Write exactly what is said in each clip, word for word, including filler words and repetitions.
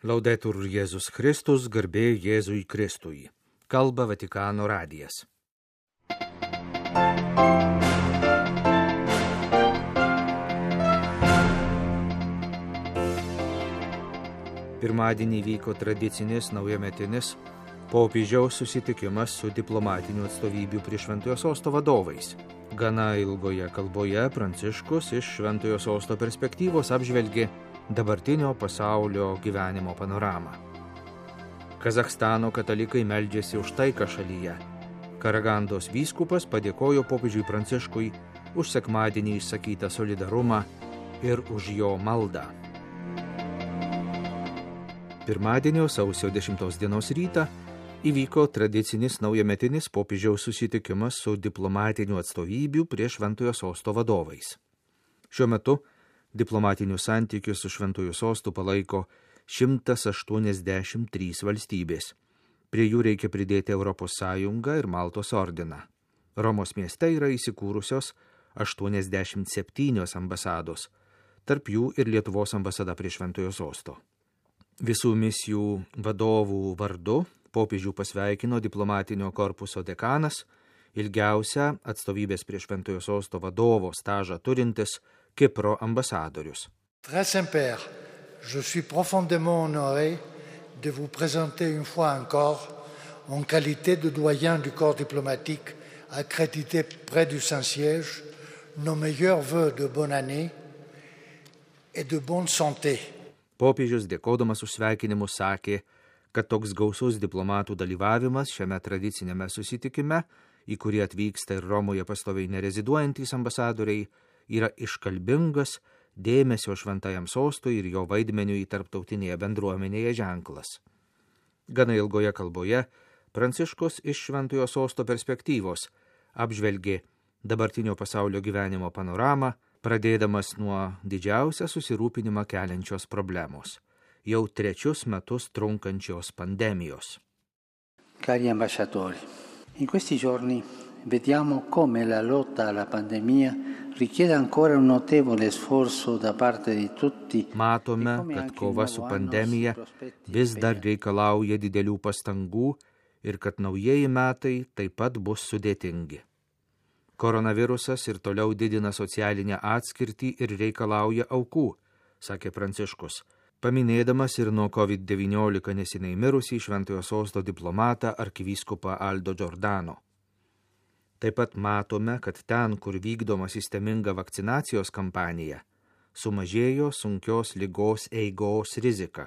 Laudetur Jėzus Kristus, garbė Jėzui Kristui. Kalba Vatikano radijas. Pirmadienį vyko tradicinis naujametinis popiežiaus susitikimas su diplomatinių atstovybių prie Šventojo Sosto vadovais. Gana ilgoje kalboje Pranciškus iš Šventojo Sosto perspektyvos apžvelgė dabartinio pasaulio gyvenimo panoramą. Kazachstano katalikai meldžiasi už taiką šalyje. Karagandos vyskupas padėkojo popiežiui Pranciškui už sekmadienį išsakytą solidarumą ir už jo maldą. Pirmadienio sausio dešimtos dienos rytą įvyko tradicinis naujametinis popiežiaus susitikimas su diplomatinių atstovybių prie Šventojo Sosto vadovais. Šiuo metu diplomatinius santykius su Šventojo Sostu palaiko šimtas aštuoniasdešimt trys valstybės. Prie jų reikia pridėti Europos Sąjungą ir Maltos ordiną. Romos mieste yra įsikūrusios aštuoniasdešimt septynios ambasados, tarp jų ir Lietuvos ambasada prie Šventojo Sosto. Visų misijų vadovų vardu popiežių pasveikino diplomatinio korpuso dekanas, ilgiausią atstovybės prie Šventojo Sosto vadovo stažą turintis Kipro ambasadorius. Très Saint-Père, je suis profondément honoré de vous présenter une fois encore en qualité de doyen du corps diplomatique accrédité près du Saint-Siège nos meilleurs vœux de bonne année et de bonne santé. Popiežius dėkodamas už sveikinimus sakė, kad toks gausus diplomatų dalyvavimas šiame tradicinėme susitikime, į kurį atvyksta ir Romoje pastoviai nereziduojantys ambasadoriai, yra iškalbingas dėmesio Šventajam Sostui ir jo vaidmeniui tarptautinėje bendruomenėje ženklas. Gana ilgoje kalboje Pranciškus iš Šventojo Sosto perspektyvos apžvelgė dabartinio pasaulio gyvenimo panoramą, pradėdamas nuo didžiausią susirūpinimą keliančios problemos – jau trečius metus trunkančios pandemijos. Cari ambasciatori, in questi giorni vediamo come la lotta alla pandemia richiede ancora un notevole sforzo da parte di tutti. Matome, kad kova su pandemija vis dar reikalauja didelių pastangų ir kad naujieji metai taip pat bus sudėtingi. Koronavirusas ir toliau didina socialinę atskirtį ir reikalauja aukų, sakė Pranciškus, paminėdamas ir nuo kovid devyniolika neseniai mirusį Šventojo Sosto diplomatą arkivyskupą Aldo Giordano. Taip pat matome, kad ten, kur vykdoma sisteminga vakcinacijos kampanija, sumažėjo sunkios ligos eigos rizika.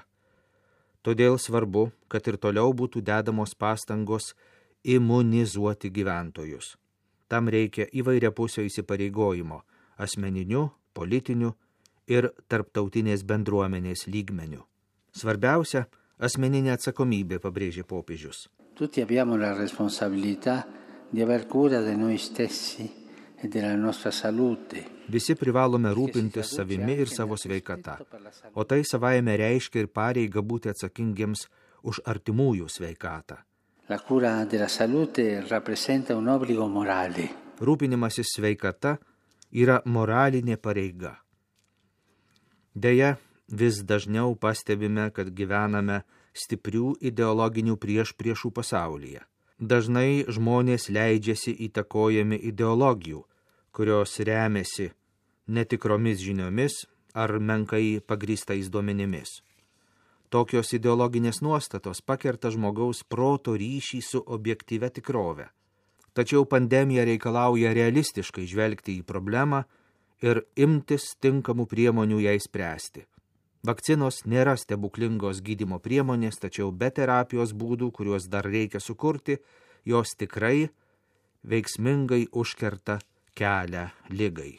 Todėl svarbu, kad ir toliau būtų dedamos pastangos imunizuoti gyventojus. Tam reikia įvairiapusio įsipareigojimo asmeniniu, politiniu ir tarptautinės bendruomenės lygmeniu. Svarbiausia – asmeninė atsakomybė, pabrėžė popiežius. Tutti abbiamo la responsabilità di aver cura di noi stessi e della nostra salute. Visi privalome rūpintis savimi ir savo sveikata, o tai savaime reiškia ir pareigą būti atsakingiems už artimųjų sveikatą. La cura della salute rappresenta un obbligo morale. Rūpinimasis sveikata yra moralinė pareiga. Deja, vis dažniau pastebime, kad gyvename stiprių ideologinių priešpriešų pasaulyje. Dažnai žmonės leidžiasi įtakojami ideologijų, kurios remiasi netikromis žiniomis ar menkai pagrįstais duomenimis. Tokios ideologinės nuostatos pakerta žmogaus proto ryšį su objektyvia tikrove. Tačiau pandemija reikalauja realistiškai žvelgti į problemą ir imtis tinkamų priemonių jai spręsti. Vakcinos nėra stebuklingos gydymo priemonės, tačiau be terapijos būdų, kuriuos dar reikia sukurti, jos tikrai veiksmingai užkerta kelią ligai.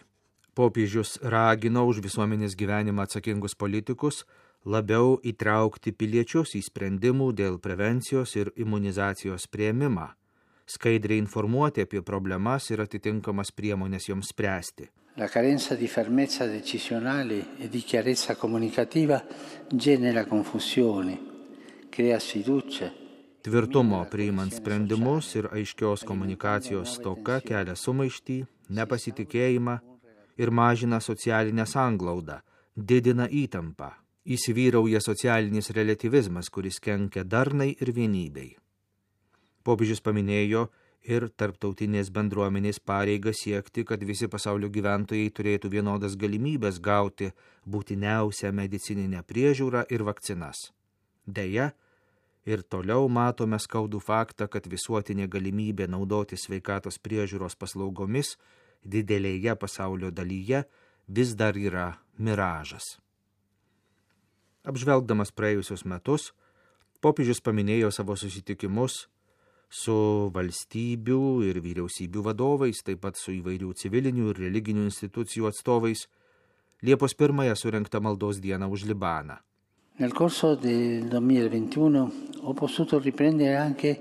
Popiežius ragino už visuomenės gyvenimą atsakingus politikus labiau įtraukti piliečius į sprendimų dėl prevencijos ir imunizacijos priėmimą, skaidriai informuoti apie problemas ir atitinkamas priemonės joms spręsti. La carenza di fermezza decisionale e di chiarezza comunicativa genera confusione, crea sfiducia. Tvirtumo priimant sprendimus ir aiškios komunikacijos stoka kelia sumaištį, nepasitikėjimą ir mažina socialinę sanglaudą, didina įtampą, Įsivyrauja socialinis relativizmas, kuris kenkia darnai ir vienybei. Popiežius paminėjo ir tarptautinės bendruomenės pareigą siekti, kad visi pasaulio gyventojai turėtų vienodas galimybės gauti būtiniausią medicininę priežiūrą ir vakcinas. Deja, ir toliau matome skaudų faktą, kad visuotinė galimybė naudoti sveikatos priežiūros paslaugomis didelėje pasaulio dalyje vis dar yra miražas. Apžvelgdamas praėjusius metus, popiežius paminėjo savo susitikimus su valstybių ir vyriausybių vadovais, taip pat su įvairių civilinių ir religinių institucijų atstovais, Liepos pirmąją surengtą maldos dieną už Libaną. Nel corso del duemilaventuno ho potuto riprendere anche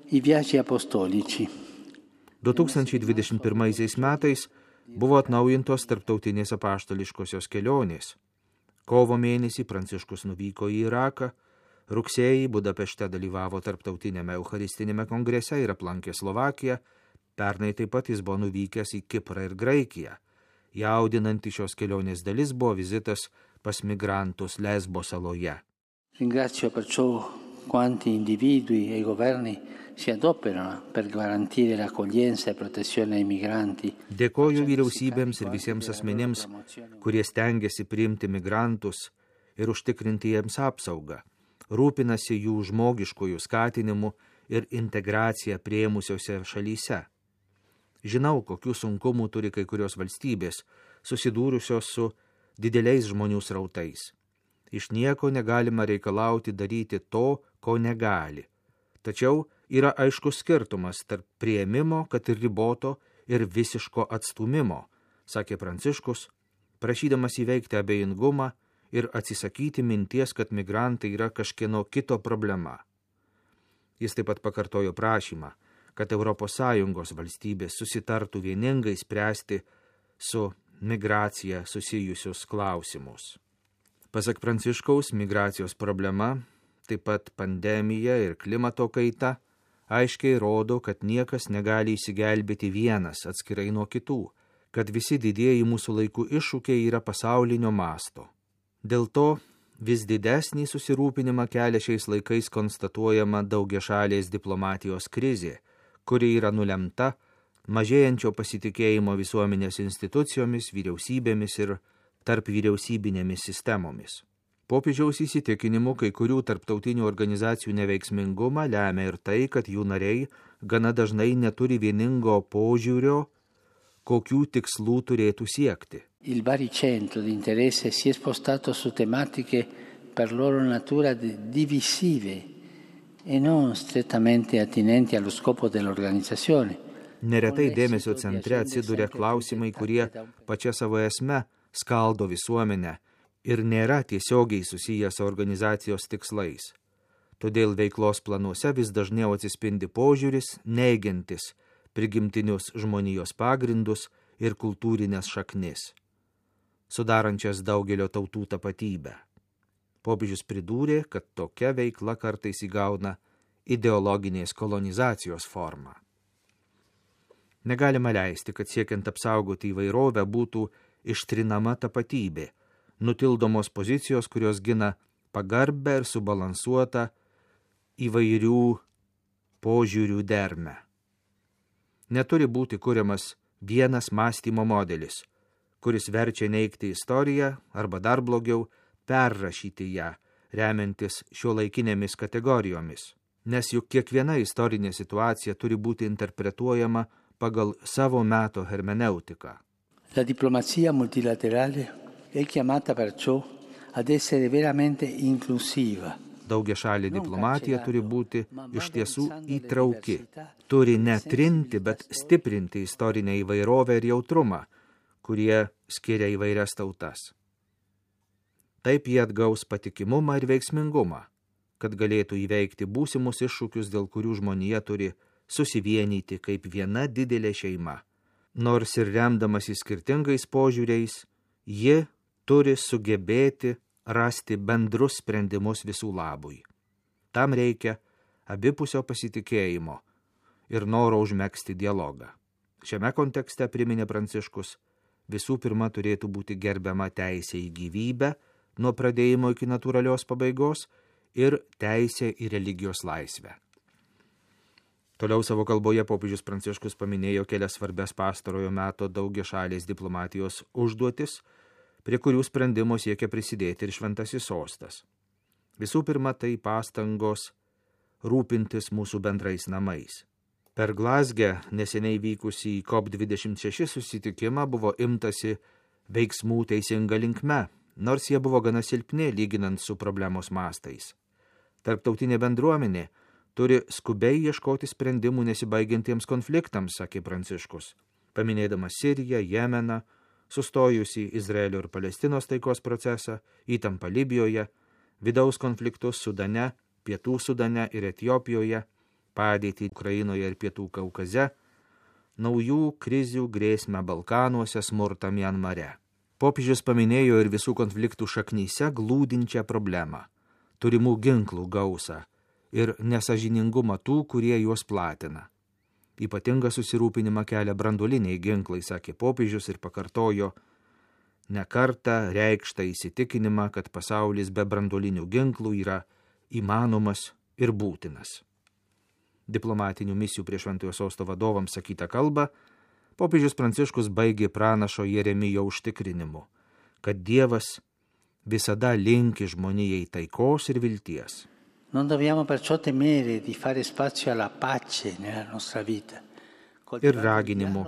i viaggi apostolici. du tūkstančiai dvidešimt pirmaisiais metais buvo atnaujintos tarptautinės apaštališkosios kelionės. Kovo mėnesį Pranciškus nuvyko į Iraką, rugsėjį Budapešte dalyvavo tarptautinėme eucharistinėme kongrese ir aplankė Slovakiją, pernai taip pat jis buvo nuvykęs į Kiprą ir Graikiją. Jaudinanti šios kelionės dalis buvo vizitas pas migrantus Lesbo saloje. Ringrazio perciò quanti individui e governi si adoperano per garantire l'accoglienza e protezione ai migranti. Dėkoju vyriausybėms ir visiems asmenims, kurie stengiasi priimti migrantus ir užtikrinti jiems apsaugą, rūpinasi jų žmogiškojų skatinimu ir integracija priėmusiose šalyse. Žinau, kokių sunkumų turi kai kurios valstybės, susidūrusios su dideliais žmonių srautais. Iš nieko negalima reikalauti daryti to, ko negali. Tačiau yra aiškus skirtumas tarp priėmimo, kad ir riboto, ir visiško atstūmimo, sakė Pranciškus, prašydamas įveikti abejingumą ir atsisakyti minties, kad migrantai yra kažkieno kito problema. Jis taip pat pakartojo prašymą, kad Europos Sąjungos valstybės susitartų vieningai spręsti su migracija susijusius klausimus. Pasak Pranciškaus, migracijos problema, taip pat pandemija ir klimato kaita, aiškiai rodo, kad niekas negali įsigelbėti vienas atskirai nuo kitų, kad visi didieji mūsų laikų iššūkiai yra pasaulinio masto. Dėl to vis didesnį susirūpinimą kelia šiais laikais konstatuojama daugiašalės diplomatijos krizė, kuri yra nulemta mažėjančio pasitikėjimo visuomenės institucijomis, vyriausybėmis ir tarp vyriausybinėmis sistemomis. Popiežiaus įsitikinimu kai kurių tarptautinių organizacijų neveiksmingumą lemia ir tai, kad jų nariai gana dažnai neturi vieningo požiūrio, kokių tikslų turėtų siekti. Il baricentro di interesse si è spostato su tematiche per loro natura divisive e non strettamente attinenti allo scopo dell'organizzazione. Neretai dėmesio centre atsiduria klausimai, kurie pačia savo esme skaldo visuomenę ir nėra tiesiogiai susiję su organizacijos tikslais. Todėl veiklos planuose vis dažniau atsispindi požiūris, neigiantis prigimtinius žmonijos pagrindus ir kultūrinės šaknis, sudarančias daugelio tautų tapatybę. Popiežius pridūrė, kad tokia veikla kartais įgauna ideologinės kolonizacijos formą. Negalima leisti, kad siekiant apsaugoti įvairovę būtų ištrinama tapatybė, nutildomos pozicijos, kurios gina pagarbę ir subalansuotą įvairių požiūrių dermę. Neturi būti kuriamas vienas mąstymo modelis, kuris verčia neigti istoriją arba dar blogiau perrašyti ją, remiantis šiuolaikinėmis kategorijomis, nes juk kiekviena istorinė situacija turi būti interpretuojama pagal savo meto hermeneutiką. La diplomazia multilaterale è chiamata perciò ad essere veramente inclusiva. Daugiašalė diplomatija turi būti iš tiesų įtrauki, turi ne trinti, bet stiprinti istorinę įvairovę ir jautrumą, kurie skiria įvairias tautas. Taip jie atgaus patikimumą ir veiksmingumą, kad galėtų įveikti būsimus iššūkius, dėl kurių žmonija turi susivienyti kaip viena didelė šeima. Nors ir remdamasi skirtingais požiūriais, ji turi sugebėti rasti bendrus sprendimus visų labui. Tam reikia abipusio pasitikėjimo ir noro užmegzti dialogą. Šiame kontekste, priminė Pranciškus, visų pirma turėtų būti gerbiama teisė į gyvybę, nuo pradėjimo iki natūralios pabaigos ir teisė į religijos laisvę. Toliau savo kalboje popiežius Pranciškus paminėjo kelias svarbias pastarojo meto daugiašalės diplomatijos užduotis, prie kurių sprendimo siekia prisidėti ir šventasis sostas. Visų pirma, tai pastangos rūpintis mūsų bendrais namais. Per Glazge neseniai vykusį COP dvidešimt šeši susitikimą buvo imtasi veiksmų teisinga linkme, nors jie buvo gana silpni lyginant su problemos mastais. Tarptautinė bendruomenė turi skubiai ieškoti sprendimų nesibaigiantiems konfliktams, sakė Pranciškus, paminėdamas Siriją, Jemeną, sustojusi Izraelio ir Palestinos taikos procesą, įtampą Libijoje, vidaus konfliktus Sudane, Pietų Sudane ir Etiopijoje, padėtį Ukrainoje ir Pietų Kaukaze, naujų krizių grėsmę Balkanuose, smurtą Mianmare. Popiežius paminėjo ir visų konfliktų šaknyse glūdinčią problemą – turimų ginklų gausą ir nesažiningumą tų, kurie juos platina. Ypatingą susirūpinimą kelia branduoliniai ginklai, sakė popiežius ir pakartojo ne kartą reikštą įsitikinimą, kad pasaulis be branduolinių ginklų yra įmanomas ir būtinas. Diplomatinių misijų prie Šventojo Sosto vadovams sakytą kalbą, popiežius Pranciškus baigė pranašo Jeremijo užtikrinimu, kad Dievas visada linki žmonijai taikos ir vilties. Non dobbiamo perciò temere di fare spazio alla pace nella nostra vita. Ir raginimu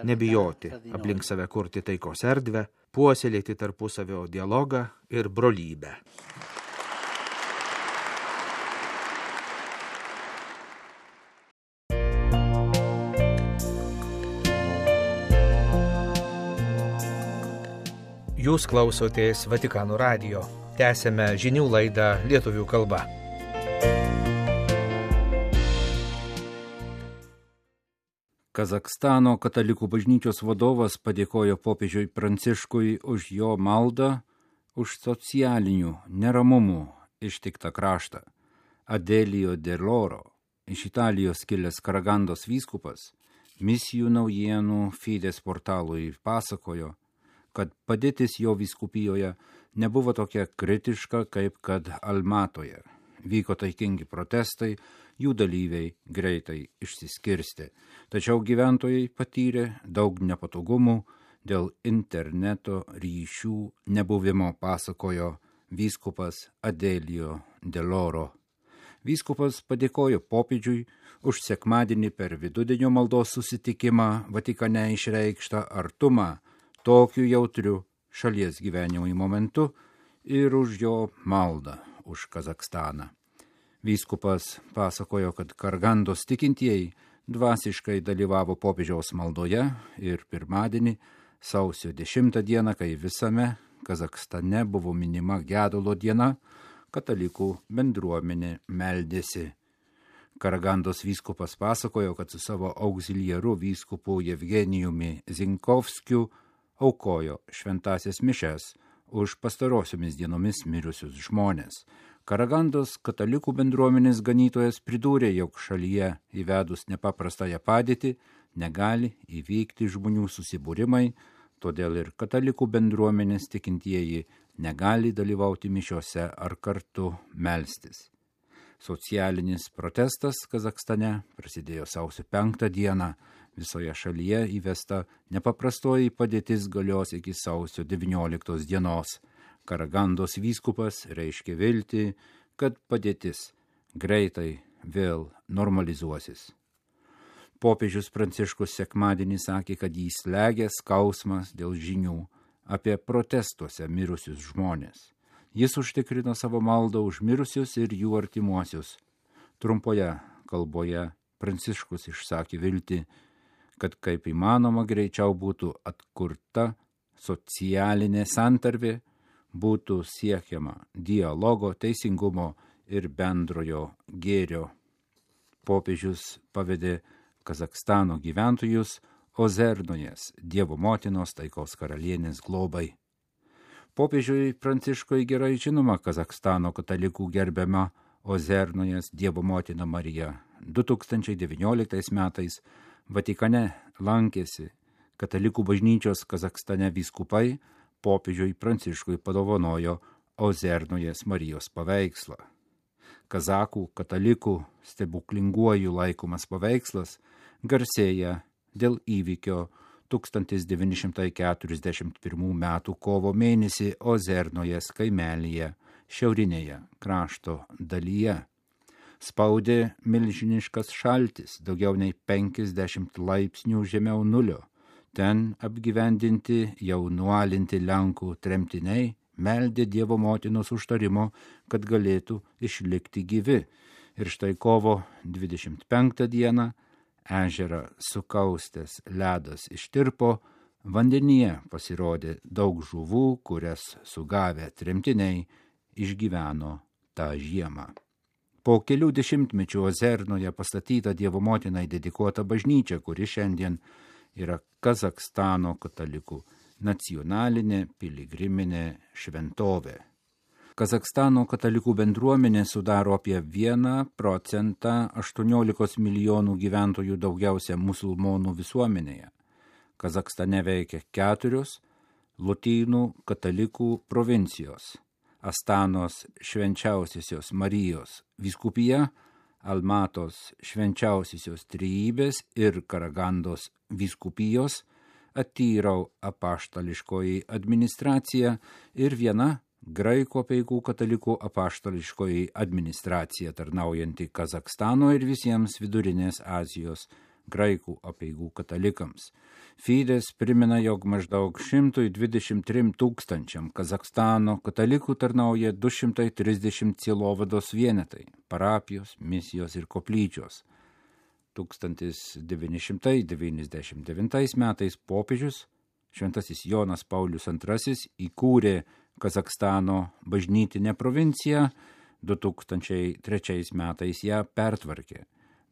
nebijoti aplink save kurti taikos erdvę, puoselėti tarpusavio dialogą ir brolybę. Jūs klausotės Vatikano radijo. Tęsėme žinių laidą lietuvių kalba. Kazachstano katalikų bažnyčios vadovas padėkojo popiežiui Pranciškui už jo maldą, už socialinių neramumų ištiktą kraštą. Adelio Deloro, iš Italijos kilęs Karagandos vyskupas, misijų naujienų Fides portalui pasakojo, kad padėtis jo vyskupijoje nebuvo tokia kritiška, kaip kad Almatoje. Vyko taikingi protestai, jų dalyviai greitai išsiskirstė. Tačiau gyventojai patyrė daug nepatogumų dėl interneto ryšių nebuvimo, pasakojo vyskupas Adelio Deloro. Vyskupas padėkojo popiežiui už sekmadienį per vidudienio maldos susitikimą Vatikane išreikštą artumą tokiu jautriu šalies gyvenimui momentu ir už jo maldą už Kazachstaną. Vyskupas pasakojo, kad Karagandos tikintieji dvasiškai dalyvavo popiežiaus maldoje ir pirmadienį, sausio dešimtą dieną, kai visame Kazachstane buvo minima gedulo diena, katalikų bendruomenė meldėsi. Karagandos vyskupas pasakojo, kad su savo auxiliaru vyskupu Jevgenijumi Zinkovskiu aukojo šventasias mišes už pastarosiomis dienomis mirusius žmonės. Karagandos katalikų bendruomenės ganytojas pridūrė, jog šalyje įvedus nepaprastąją padėtį negali įvykti žmonių susibūrimai, todėl ir katalikų bendruomenės tikintieji negali dalyvauti mišiose ar kartu melstis. Socialinis protestas Kazachstane prasidėjo sausio penktą dieną. Visoje šalyje įvesta nepaprastoji padėtis galios iki sausio devynioliktos dienos. Karagandos vyskupas reiškė viltį, kad padėtis greitai vėl normalizuosis. Popiežius Pranciškus sekmadienį sakė, kad jį slegia skausmas dėl žinių apie protestuose mirusius žmonės. Jis užtikrino savo maldą už mirusius ir jų artimuosius. Trumpoje kalboje Pranciškus išsakė viltį, kad kaip įmanoma greičiau būtų atkurta socialinė santarvė, būtų siekiama dialogo, teisingumo ir bendrojo gėrio. Popiežius pavedė Kazachstano gyventojus Ozernojas, Dievo motinos taikos karalienės globai. Popiežiui Pranciškui gerai žinoma Kazachstano katalikų gerbiama Ozernojas Dievo motina Marija. du tūkstančiai devynioliktais metais Vatikane lankėsi katalikų bažnyčios Kazachstane vyskupai, popiežiui Pranciškui padovanojo Ozernojas Marijos paveikslą. Kazakų katalikų stebuklinguoju laikomas paveikslas garsėja dėl įvykio tūkstantis devyni šimtai keturiasdešimt pirmų metų kovo mėnesį Ozernojas kaimelyje šiaurinėje krašto dalyje. Spaudė milžiniškas šaltis, daugiau nei penkiasdešimt laipsnių žemiau nulio. Ten apgyvendinti jau nualinti Lenkų tremtiniai meldė Dievo motinos užtarimo, kad galėtų išlikti gyvi. Ir štai kovo dvidešimt penktą dieną ežerą sukaustęs ledas ištirpo, vandenyje pasirodė daug žuvų, kurias sugavę tremtiniai išgyveno tą žiemą. Po kelių dešimtmečių Ozernoje pastatyta Dievo motinai dedikuota bažnyčia, kuri šiandien yra Kazakstano katalikų nacionalinė piligriminė šventovė. Kazakstano katalikų bendruomenė sudaro apie vieną procentą aštuoniolikos milijonų gyventojų daugiausia musulmonų visuomenėje. Kazakstane veikia keturios lotynų katalikų provincijos: Astanos švenčiausiosios Marijos vyskupija, Almatos švenčiausiosios Trejybės ir Karagandos vyskupijos, Atyrau apaštališkoji administracija ir viena graikų apeigų katalikų apaštališkoji administracija, tarnaujanti Kazakstano ir visiems Vidurinės Azijos graikų apeigų katalikams. Fides primena, jog maždaug šimtas dvidešimt trims tūkstančiam Kazakstano katalikų tarnauja du šimtai trisdešimt sielovados vienetai, parapijos, misijos ir koplyčios. tūkstantis devyni šimtai devyniasdešimt devintais metais popiežius šventasis Jonas Paulius antrasis įkūrė Kazakstano bažnytinę provinciją, du tūkstančiai trečiais metais ją pertvarkė.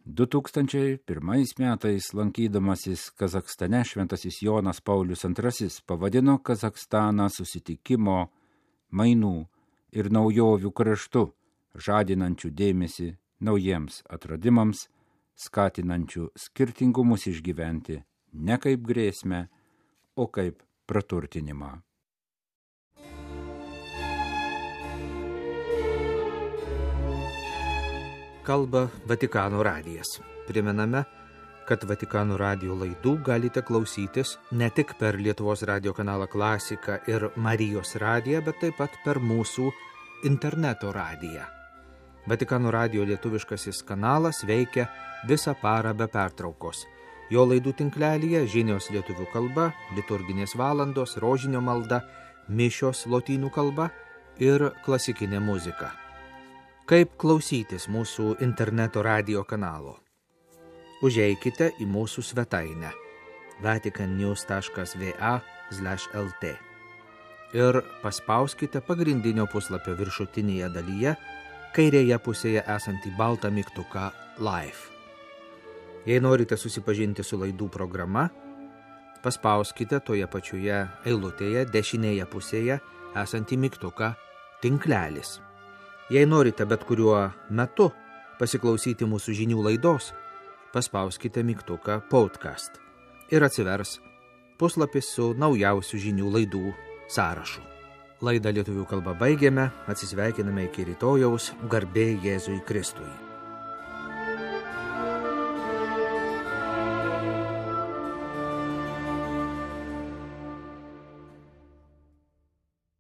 du tūkstančiai pirmais metais lankydamasis Kazakstane šventasis Jonas Paulius antrasis pavadino Kazakstaną susitikimo, mainų ir naujovių kraštu, žadinančių dėmesį naujiems atradimams, skatinančių skirtingumus išgyventi ne kaip grėsmę, o kaip praturtinimą. Kalba Vatikano radijas. Primename, kad Vatikano radijo laidų galite klausytis ne tik per Lietuvos radijo kanalą Klasika ir Marijos radiją, bet taip pat per mūsų interneto radiją. Vatikano radijo lietuviškasis kanalas veikia visą parą be pertraukos. Jo laidų tinklelyje žinios lietuvių kalba, liturginės valandos, rožinio malda, mišios lotynų kalba ir klasikinė muzika. Kaip klausytis mūsų interneto radijo kanalo? Užeikite į mūsų svetainę vaticannews taškas va slash lt ir paspauskite pagrindinio puslapio viršutinėje dalyje kairėje pusėje esantį baltą mygtuką Live. Jei norite susipažinti su laidų programa, paspauskite toje pačioje eilutėje dešinėje pusėje esantį mygtuką Tinklelis. Jei norite bet kuriuo metu pasiklausyti mūsų žinių laidos, paspauskite mygtuką Podcast ir atsivers puslapis su naujausių žinių laidų sąrašu. Laidą lietuvių kalba baigėme, atsisveikiname iki rytojaus, garbė Jėzui Kristui.